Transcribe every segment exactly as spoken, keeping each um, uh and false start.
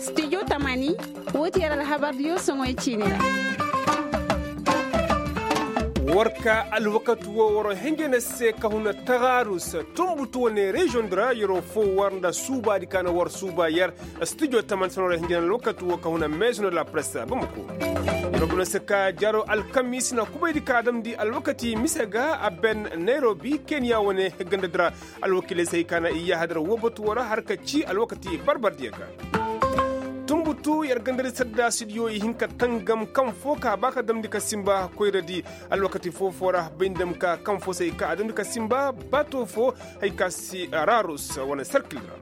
Studio tamani, woo ti yer alhabardiyo soŋoy ciini ra. War ka alwakati woo war henjene se ka huna tagaarus, tunbutu wane reziyoŋ di ra yeroo foo war nda suubaadi ka na war suuba yer. Studio tamani se no ra henjene alwakati woo ka huna meezo no la presse bamako. Yeroo buna se ka jaaroo alkamiisi na kubaydi ka damndi alwakati mise ga a ben nayrobi keniya wane ganda di ra. Alwakiiley se hay ka na i yaahadar woo batu woo ra har ka cii alwakati barbardiyo ga. Tunbutu yer gandari saddaasidiyo i hin ka tangam kaŋ foo ka ba ka damndi ka sinba koyradi. Alwakati foo-foo ra bay nda ma ka kaŋ foo se hay ka a damndi ka sinba baato foo, hay ka si raarus wane sarkil ra.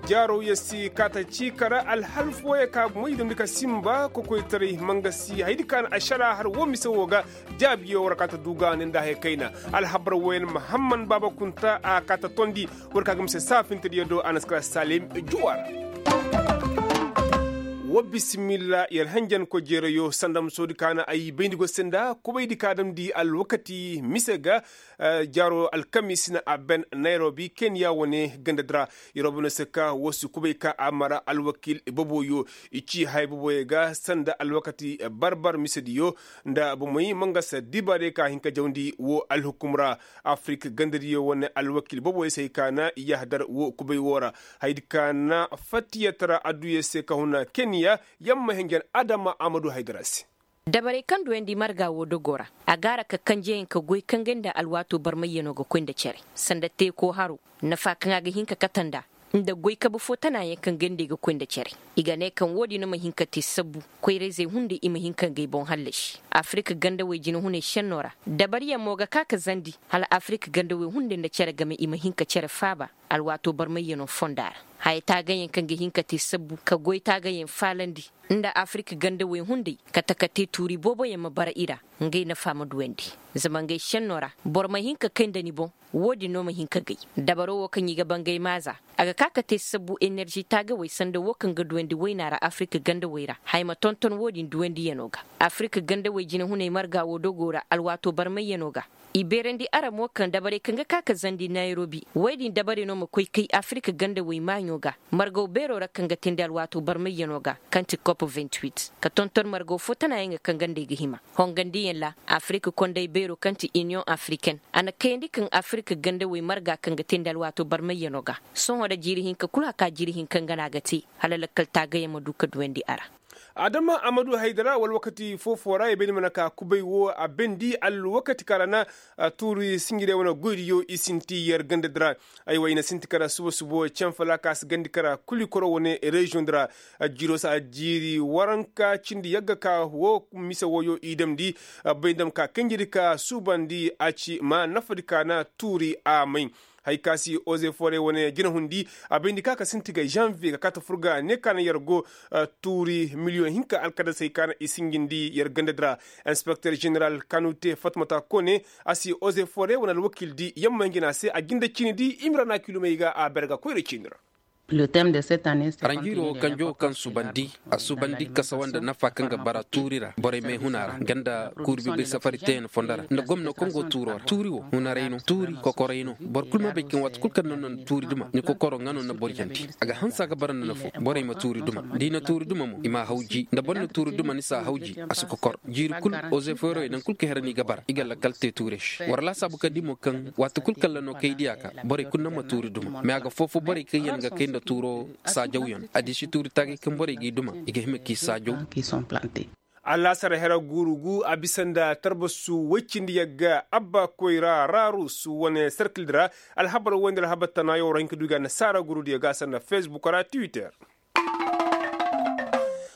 Jaaroo yer si kaata cii kara alhal fooyaŋ ka moy damndi ka sinba kokoytaray ma nga si haydi ka na ašara har woo mise woo ga. Jaabiyo war kaata duuga ne nda haya kayna. Alhabar wooyaŋ mahamman baaba kunta a kaata tondi. War ka ga mise saafintediyo do a na si kara salim juwa ra. Wa bisimilla yer henjankoy jeerayo sanda musoodi ka na ay bayndi go se nda kubaydi ka damndi alwakati mise ga. Jaaro alkamiisi na a ben nayrobi keniya wane ganda di ra. Yer wo bana se ka woo si kubay ka a mara alwakiil boboyo i ci haya boboyo ga sanda alwakati barbar misediyo nda bomey ma nga se dibaarey ka hin ka jawndi woo alhukum ra. Afirik gandadiyo wane alwakiil boboyo se hay ka na i yaahadar woo kubay woo ra. Hayadi ka na fattiyatara adduya se ka huna keniya. Yamma henjen adama amadu haydara se. Dabarey kaŋ duwandi marga woo dogoo ra a gaara ka kanjeyaŋ ka goy kaŋ gay nda alwaatoo barmayyanoo ga koy nda cere sanda teekoo haroo nafa kaŋ a ga hin ka kate nd'a nda goy kabe foo tanaayaŋ kaŋ gay nda i ga koy nda cere. I ga ne kaŋ woodin ma hin ka te sabbu koyrayzey hunday i ma hin ka ngey boŋ hallasi afirik gandawey jinehunay šennoo ra. Dabariyaŋ mo ga ka ka zandi hala afirik gandawey hunday nda cere game i ma hin ka cere faaba alwaatoo barmayyanoo fonda ra. Haya taagayaŋ kaŋ ga hin ka te sabbu ka goy taagayaŋ faalandi nda afirik gandawey hunday kate ka te tuuri booboyaŋ ma bara i ra. Ngey nafa ma duwandi zama ngey šennoo ra boro ma hin ka kay nda ni boŋ. Woodin no ma hin ka gay dabaroo woo kaŋ i ga bangay maaza a ga ka ka te sabbu enerži taagawey sanda woo kaŋ ga duwandi waynaa ra afirik gandawey ra haya ma tonton woodin duwandiyanoo ga. Afirik gandawey jinehunay marga woo dogoo ra alwaatoo barmayyanoo ga. I beerandi ara mo kaŋ dabarey kaŋ ga ka ka zandi nayrobi woy din dabarey no ma koy kay afirik gandawey maaɲo ga margaw beeroo ra kaŋ ga teendi alwaatoo barmayyanoo ga kaŋ ti kop ka tonton margaw foo tanaayaŋ ga kaŋ gandey ga hima. Hongandiyaŋ ra afirik konday beeroo kaŋ ti iniyoŋ afiriken a na kayandi kaŋ afirik gandawey marga kaŋ ga teendi alwaatoo barmayyanoo ga. Sohõ nda jiiri hinka kul haka jiiri hinka nga no a ga te hala lakkal taagayaŋ ma du ka duwandi a ra. Adama amadu haydara wala wakati foo-foo ra i bay ni mana ka kubay woo a bendi alwakati kaŋ ra na tuuri sinjirey wane goydiyo i sinti yer ganda di ra. Aywa i na sinti kara suba-subo canfala ka si gandi kara kuli koro wane reziyoŋ di ra. Jiiro si a jiiri waranka cindi yagga ka woo mise wooyo i damndi. Bay ndam ka kanjidi ka suubandi a ci ma nafadi ka na tuuri a may. Hay ka si ozeforey wane jinahundi a bayndi ka ka sinti ga zanviye ka kaata fur ga ne ka na yer go. Tuuri miliyoŋ hinka alkadasey ka na i sinjindi yer ganda di ra. Inspekter ženeral kanute fatmata kone a si ozeforey wane alwakiildi yamma hinjina se a jinda ciinidi i ma ra na kilumey ga a ber ga koyra ciini ra. Ranjiiro kanjo kaŋ subandi a subandi kasawa nda nafa kaŋ ga bara tuuri ra borey may huna ra nga nda kuuri bibay safari teeyaŋ fondo ra nda gomno kaŋ go tuuro ra tuuri wo hunaray no tuuri kokoray no boro kulu ma bay kaŋ waati kulu kaŋ no na tuuri duma ni kokoro nga no na boro jandi. A ga hanse a ga bara nda nafo borey ma tuuri duma da i na tuuri duma mo i m'a hawji nda boro na tuuri duma ni s'a hawji. A si kokor jiiri kulu ozeforey nangu kulu kaŋ hera no i ga bara i ga lakkal te tuure se war laasaabu ka di mo kaŋ waati kulu kaŋ ra no kay diya ka borey kulu naŋ ma tuuri duma mais a ga foo-foo borey kaŋ yaŋ ga kay nda tuuro saajawyaŋ a di si tuuri taagay kaŋ borey g'i duma i ga hima k'i saajaw. Alaasar hera guuru gu a bisa nda tarbasu woy cindi yagga abba koyra raarusu wane serkildi ra. Alhabar woy nda alhabar tanaayo war hin ka du i ga nasaara guurudiyo ga sanda fesbuk ra twitter.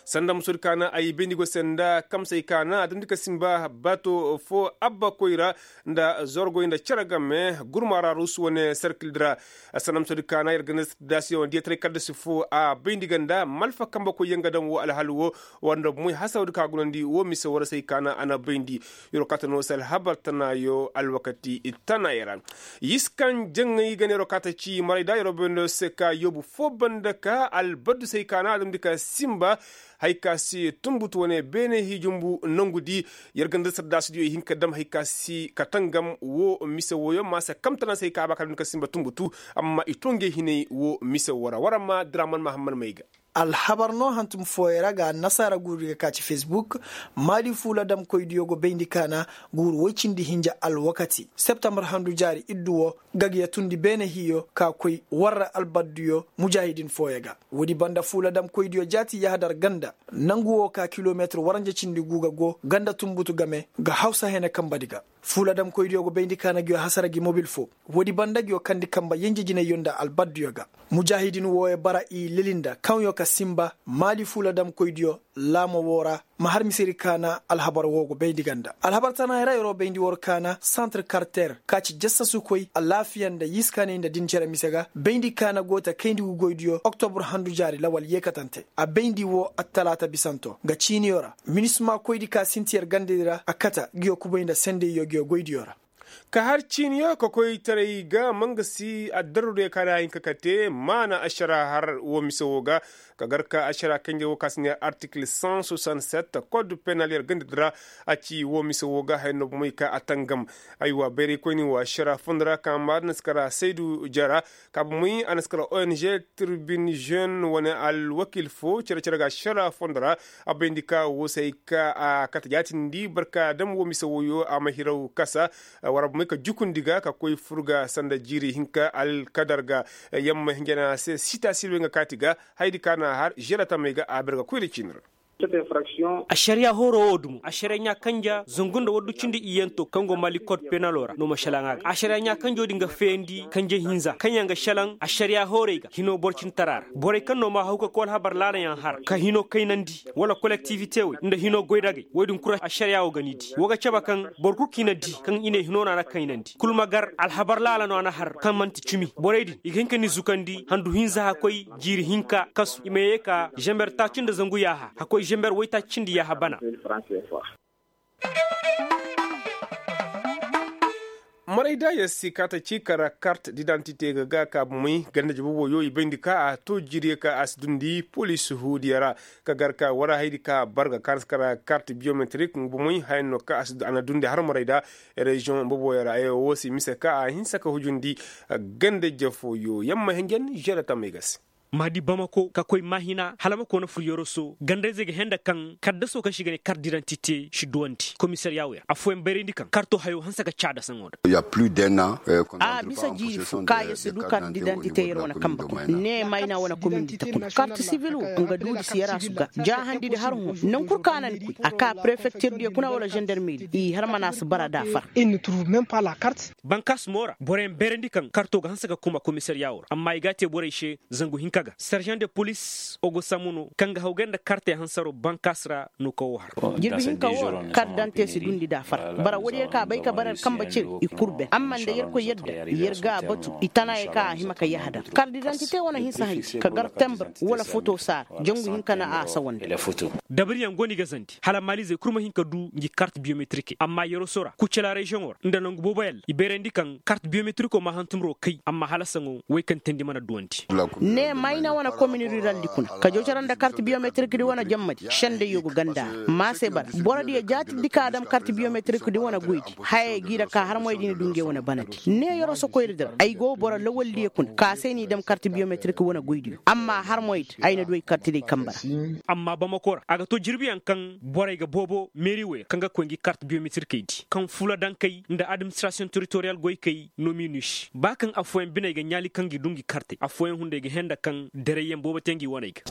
Sanda musudi ka na ay bayndi go se nda kamsey ka na a damndi ka simba baato foo abba koyra nda zorgoy nda cere game gurma ra rusu wane serkildi ra. Sanda musudi ka na yer ganda daasiyaŋ diya taray kaddasi foo a bayndi ga nda malfa kambe koyyaŋ ga daŋ woo alhal woo war nda moy hasawdi ka gunandi woo mise war se ay ka na a na bayndi. Yer wo kaata no se alhabar tanaayo alwakati tanaayo ra. Yiskan jaŋay ga ne yer wo kaata ci maray da yer wo bayndo se ka yoobu foo banda ka albaddu se ay ka na a damndi ka simba. Hay ka si tunbutu wane beene hii jumbu nongu di. Yer ga nda sardaasidiyo i hin ka dam hay ka si ka tangam woo mise wooyo ma se kamtana se hay ka a ba ka dam ni ka simba tunbutu. Amma i too ngey hinay woo mise woo ra war amma draman mahammad may ga. Alhabar no hantum fooyey ra ga annasaara guuri ga ka ci fesbuk. Maali fuula damkoydiyo go bayndi kaana guuru woy cindi hinja alwakati septembar handu jaari iddu woo, ga ga yatundi beene hiyo ka koy war ra albaddiyo mujaahidin fooyey ga. Woodi banda fuula damkoydiyo jaati yahadar ganda nangu woo ka kilometir waranja cindi guu ga go ganda tunbutu game ga hawsa hene kambadi ga. Fuula damkoydiyo go bayndi kaana nguyo hasara gi mobil foo. Woodi banda nguyo kandi kamba yenje jinayyo nda albaddiyo ga. Mujaahidin wooyo bara i leli nda kaŋyo ka simba maali fuula damkoydiyo laamo woo ra. Ma har misedi kaana alhabar woo go bayndi ga nda alhabar tanaayey ra yeroo bayndi war kaana santir karter ka ci jassasukoy alaafiya nda yiskaanay nda din cere mise ga bayndi kaana go ta kayndi gugoydiyo oktobur handu jaari lawal yeekatante. A bayndi woo attalaata bisanto nga ciiniyo ra. Minisma koydi ka sinti yer gandadi ra a kata nguyo kubay nda sendayyo nguyo goydiyo ra. Ka har ciiniyo ka koy taray ga ma nga si addarrudiyo ka na a hin ka kate maana ašara har woo mise woo ga. Ka gar ka ašara kanjey woo ka si ne artikil san soixante sept kod penal yer gandadi ra. A ci woo mise woo ga haya no bomey ka a tangam. Aywa bayraykoyni woo ašara fondo ra ka maadin si kara saydu jara. Ka bomey a na si kara ong tribune jeune wane alwakil foo cere cere ga ašara fondo ra. A bayndi ka woo se hay ka a kate jaatindi barka dam woo mise wooyo a ma hiraw kasa. War bomey ka jukundi ga ka koy fur ga sanda jiiri hinka alkadar ga. Yamma hinja na a se sita silwey nga kaati ga. Hayadi ka na a har želatamey ga a ber ga koy nda ciini ra. Ašariya hooro woo dumo ašariya ɲaa kanja zangu nda waddu cindi iyyanto kaŋ go maali kod penalo ra no ma šelaŋ a ga ašariya ɲaa kanjo din ga feeyandi kanje hinza kaŋ yaŋ ga šelaŋ ašariya hoorey ga hino boro cintara ra borey kaŋ no ma haw ka koy alhabar laalayaŋ har ka hino kaynandi wala kolektiwite wey nda hino goydagey wey din kul ašariya woo ga ni di woo ga cabe kaŋ boro kul kaŋ i na di kaŋ i ne hino no a na kaynandi kul ma gar alhabar laala no a na har kaŋ man'ti cimi borey din i ga hin ka ni zukandi handu hinza hakkoy jiiri hinka kasu i ma ye ka zember taaci nda zangu yaaha hakkoy zember waytaaci cindi yaaha bana. Maray da yer si kaata ci kara kart didantite ga ga ka bomey ganda jabu wooyo i bayndi ka a to jiiriyo ka a si dundi polis huudiyo ra. Ka gar ka war hayadi ka bar ga kaana si kara kart biyometrik nga bomey haya no ka a na dundi har maray da. Reziyoŋ boboyo ra ay woo si mise ka a hinsa ka hujundi ganda jafooyo yamma hinjan žere tamey ga se. Ma di bamako ka koy maahina hala ma koona fur yoroso gandayzey ga henda kaŋ kaddasoo kaŋ se i ga ne kart didantite si duwandi komisariya wey ra affooyaŋ bayrandi kaŋ karto hayo hanse ka caada saŋo da. A bisa jiiri fo ka yer si du kart didantite yer wane kamba kuna ne mayna wane komindi ta kuna kart sibil wo nga duudi si yer a su ga jaahandidi har hõ naŋ kul ka na ni koy a ka prefektir diyo kuna wala zandarmeri i har mana si bara da far. Bankaas mo ra boroyaŋ bayrandi kaŋ karto ga hanse ka kuma komisariya wo ra amma i ga a te borey se zangu hinka ga serzaŋ de polis ogosamu no kaŋ ga hawgay nda kartey hansaro bankaas ra no ka wo har. Jirbi hinka wo ra kart dante si dundi da far bara woodiyo ka bay ka bara yer kamba ciri i kul ben amma nda yerkoy yadda yer ga a batu i tanaayey ka a hima ka yahadar kart didantite wane hinsa hay ka gar tembir wala foto saara jangu hinka na a sawandi. Dabariyaŋ go no i ga zandi hala maalizey kul ma hin ka du ngi kart biyometirikey amma yeroso ra kucala reziyoŋo ra nda nangu booboyaŋ ra i bayrandi kaŋ kart biyometiriko ma hantumro kay amma hala saŋo woy kaŋ teendi mana duwandi. Ne mayna wane komin ruraldi kuna ka jocora nda kart biyometirikdi wane jammadi sendayyo go ganda ra ma se bara borodiyo jaatindi ka a dam kart biyometirikdi wane goydi hayey g'i ra ka harmoydi na du ngey wane banadi ne yeroso koyradi ra ay go boro lawaldiyo kuna ka se n'i dam kart biyometirikdi wane goydiyo amma harmoydi ay na du ay kartidey kamba ra. Amma bamako ra a ga to jirbiyaŋ kaŋ borey ga boobo meeri wey ra kaŋ ga koy ngi kart biyometirikey di kaŋ fuula dankey nda administirasiyoŋ teritoriyal goykey no m'i nuusi ba kaŋ affooyaŋ biney ga ɲaali kaŋ gi du ngi kartey affooyaŋ hunday ga henda kaŋ dereyyaŋ boobo te ngi waney ga.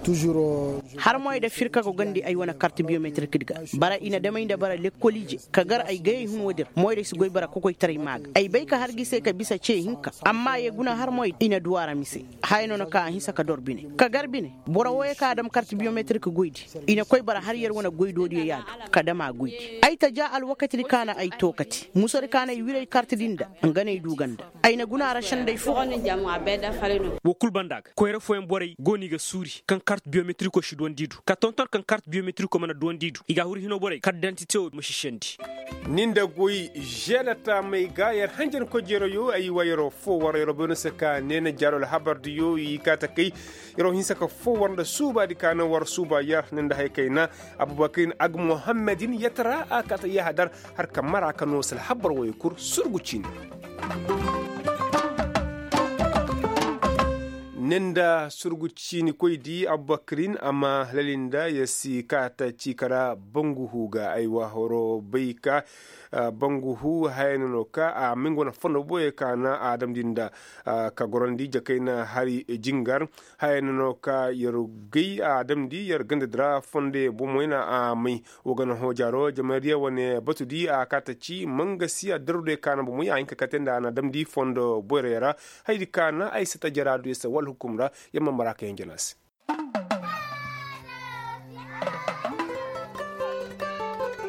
Harmoy da firka go gandi ay wane kart biyometirikdi ga bara i na damey nda bara lekkoliije ka gar ay gayey hun woodi ra moyray si goy bara kokoytaray maa ga ay bay ka har gi se ka bisa ce hinka amma ye guna harmoy i na du a ra mise haya no na ka a hinsa ka dor bine ka gar bine boro wooyo kaŋ a dam kart biyometrik goydi i na koy bara har yer wane goydoodiyo yaadu ka dam a goydi ay ta ja alwakatidi kaŋ a na ay tookati musodi kaŋ a na ay wir ay kartidi nda nga no ay du ganda ay na guna a ra sendey fo. Woo kul banda ga koyra fo. Borey go no i ga suuri kaŋ kart biyometiriko si duwandi i du ka tonton kaŋ kart biyometiriko mana duwandi i du i ga a huru hino borey kart dantite wo ma si sendi. Ni nda goy žeeda taamey ga yer hanjankoy jeerayo ay wa yeroo foo war yeroo bay no se ka neena jaaro alhabardiyo i kaa ta kay. Yeroo hinsa ka foo war nda suubaadi ka naŋ war suuba yer ni nda hay kayna abubakirin agmuhammedin yatara a kaa ta yahadar har ka mara ka noo se alhabar woyey kul surgu ciini. Ni nda surgu ciini koy di abubakirin a ma lalinda yer si kaa ta ci kara bangu huu ga ay wa horo bay ka bangu huu haya no no ka a ma nga wane fondo boyey ka na a damndi nda ka gorandi jakayna hari jingar. Haya no no ka yer gay a damndi yer ganda di ra fondoyaŋ bomoy na a may. Wa gana hoojaaro jamaydiya wane batu di a kaa ta ci mangasi addaru diyo ka na bomoy a hin ka kate nda a na damndi fondo boyroyaŋ ra. Hayadi ka na ay sata jara du yer se wala hukum ra. Yer ma mara ka hinja no a se.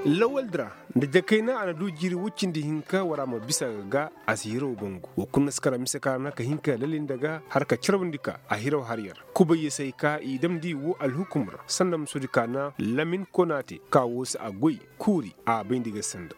Lawal di ra nda jakayna a na du jiiri woy cindi hinka war a ma bisa ga ga a si hiraw bangu wa kul na si kara mise ka na ka hin ka lalinda ga har ka carbundi ka a hiraw har yer. Kubay ya se ay ka i damndi wo alhukum ra sanda musoodi ka na lamin konaate ka wo se a goy kuuri a bayndi ga sanda.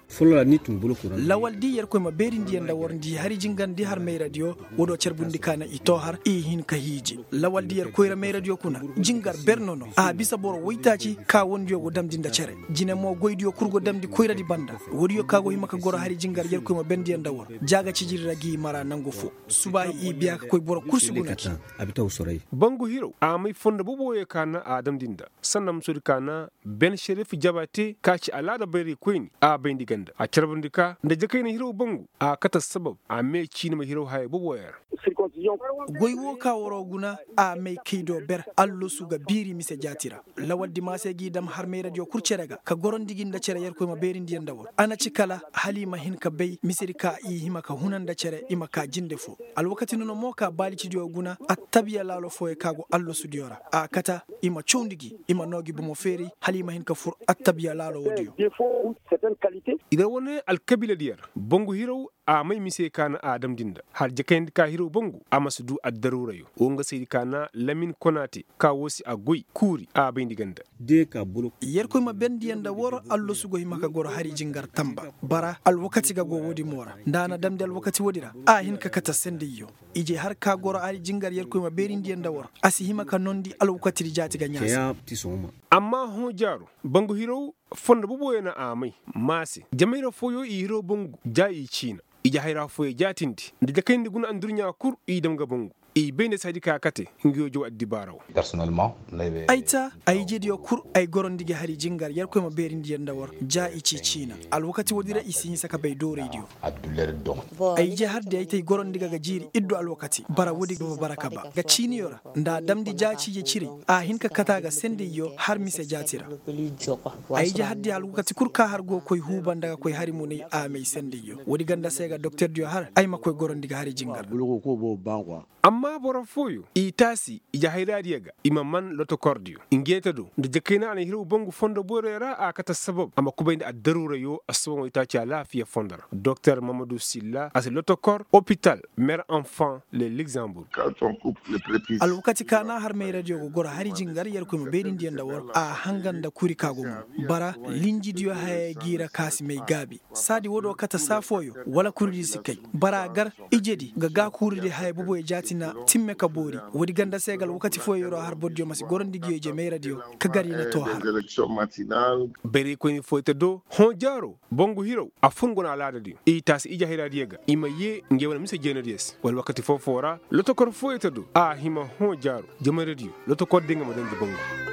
Lawal di yerkoy ma beerindi yaŋ nda war nda i hari jingar nda i har mayradiyo. Woodiyo carbundi ka na i too har i hin ka hiiji lawal di yerkoy ra mayradiyo kuna jingar ber no no a bisa boro woytaaci ka wandiyo go damndi nda cere. Jine mo goydiyo kul go damndi koyradi banda. Woodiyo ka go hima ka goro hari jingar yerkoy ma bendi yaŋ nda war ja ga cijiri ra g'i mara nangu foo. Subaahi i biya ka koy boro kul si guna ci. Bangu hiraw a may fondo boboyo ka na a damndi nda sanda musoodi ka na ben šerif jabate ka ci alaada bayraykoyni a bayndi ganda a carbundi ka nda jakayna hiraw bangu. A kate assabab a mee ciini ma hiraw haya boboyo ra. Goy wo ka waroo guna a may kay do ber allasu ga biiri mise jaati ra. Lawal di maa se g'i dam har mayradiyo kul cere ga ka gorandi gi nda cere yerkoy ma beerindi yaŋ nda war a na ci kala hala i ma hin ka bay misedi ka i hima ka huna nda cere i ma kaa jinde foo. Alwakati nuna mo ka baalicidiyo guna attabiya laalo fooyo ka go allasudiyo ra a kata i ma cawndi gi i ma noo gi bomo feeray hala i ma hin ka fur attabiya laalo woodiyo. I ra wane alkabiiladiyo ra bangu hiraw a may mise ka na a damndi nda har jakayndi ka hiraw bangu a ma si du addaruurayo wo nga saydi ka na lamin konaate ka wo se a goy kuuri a bayndi ganda. Yerkoy ma bendiyaŋ nda war allasu go hima ka goro hari jingar tamba bara alwakati ga go woodi mo ra nda a na damndi alwakati woodi ra a hin ka kate sendayyo. Ije har ka goro hari jingar yerkoy ma beerindiyaŋ nda war a si hima ka noondi alwakatidi jaati ga ɲaasa. Amma hõ jaaro bangu hiraw fondo boboyo na a may maa se jamayra fooyo i hiraw bangu ja i ciina. Ije hayra fooyo jaatindi nda jakayndi guna andurɲaa kul i dam ga bangu i bay nda si haydi ka kate nga yoo jaw addibaara wo. Ay ta ay ijediyo kul ay gorandi gi hari jingar yerkoy ma beerindi yer nda war ja i ci ciina. Alwakati woodi ra i si hinsa ka bay dooraydiyo. Ay ije har di ay ta ay gorandi ga ga jiiri iddu alwakati bara woodi ga bara ka ba ga ciiniyo ra nda a damndi ja ciije ciray a hin ka kate a ga sendayyo har mise jaati ra. Ay ije har di alwakati kul ka har go koy huuba nda ga koy hari munay a m'ay sendayyo woodi ganda se ga doktordiyo har ay ma koy gorandi ga hari jingar. Amma boro fooyo i taasi ije hayraadiyo ga i ma man lotokordiyo ngey ta do nda jakayna a na hiraw bangu fondo boyroyo ra a kate assabab a ma kubay nda addaruurayo assabaŋo i taaci alaafiya fondo ra doktor mamadu silla a si lotokor opital mer enfant le luxembourg. Alwakati ka na har mayradiyo ga goro hari jingar yerkoy ma beerindiyaŋ nda war a hangan nda kuri ka go mo bara linjidiyo haya g'i ra ka si may gaabi. Saadi woodiyo kate saa fooyo wala kuridi si kay bara gar ijedi ga gaakuuridi haya boboyo jaati na timme ka boori. Woodi ganda se ga alwakati fooyo yeroo har borodiyo ma si gorandi ngiyo ije mayradiyo ka gar i na too har. Bayraykoyni fooyo ta do hõ jaaro bangu hiraw a fun go na alaadadiyo i taasi ije hayraadiyo ga i ma yee ngey wane mise jeenadiyo se wala wakati foo-foo ra lotokor fooyo ta do a hima hõ jaaro jamayradiyo lotokor din ga ma daŋ ga bangu.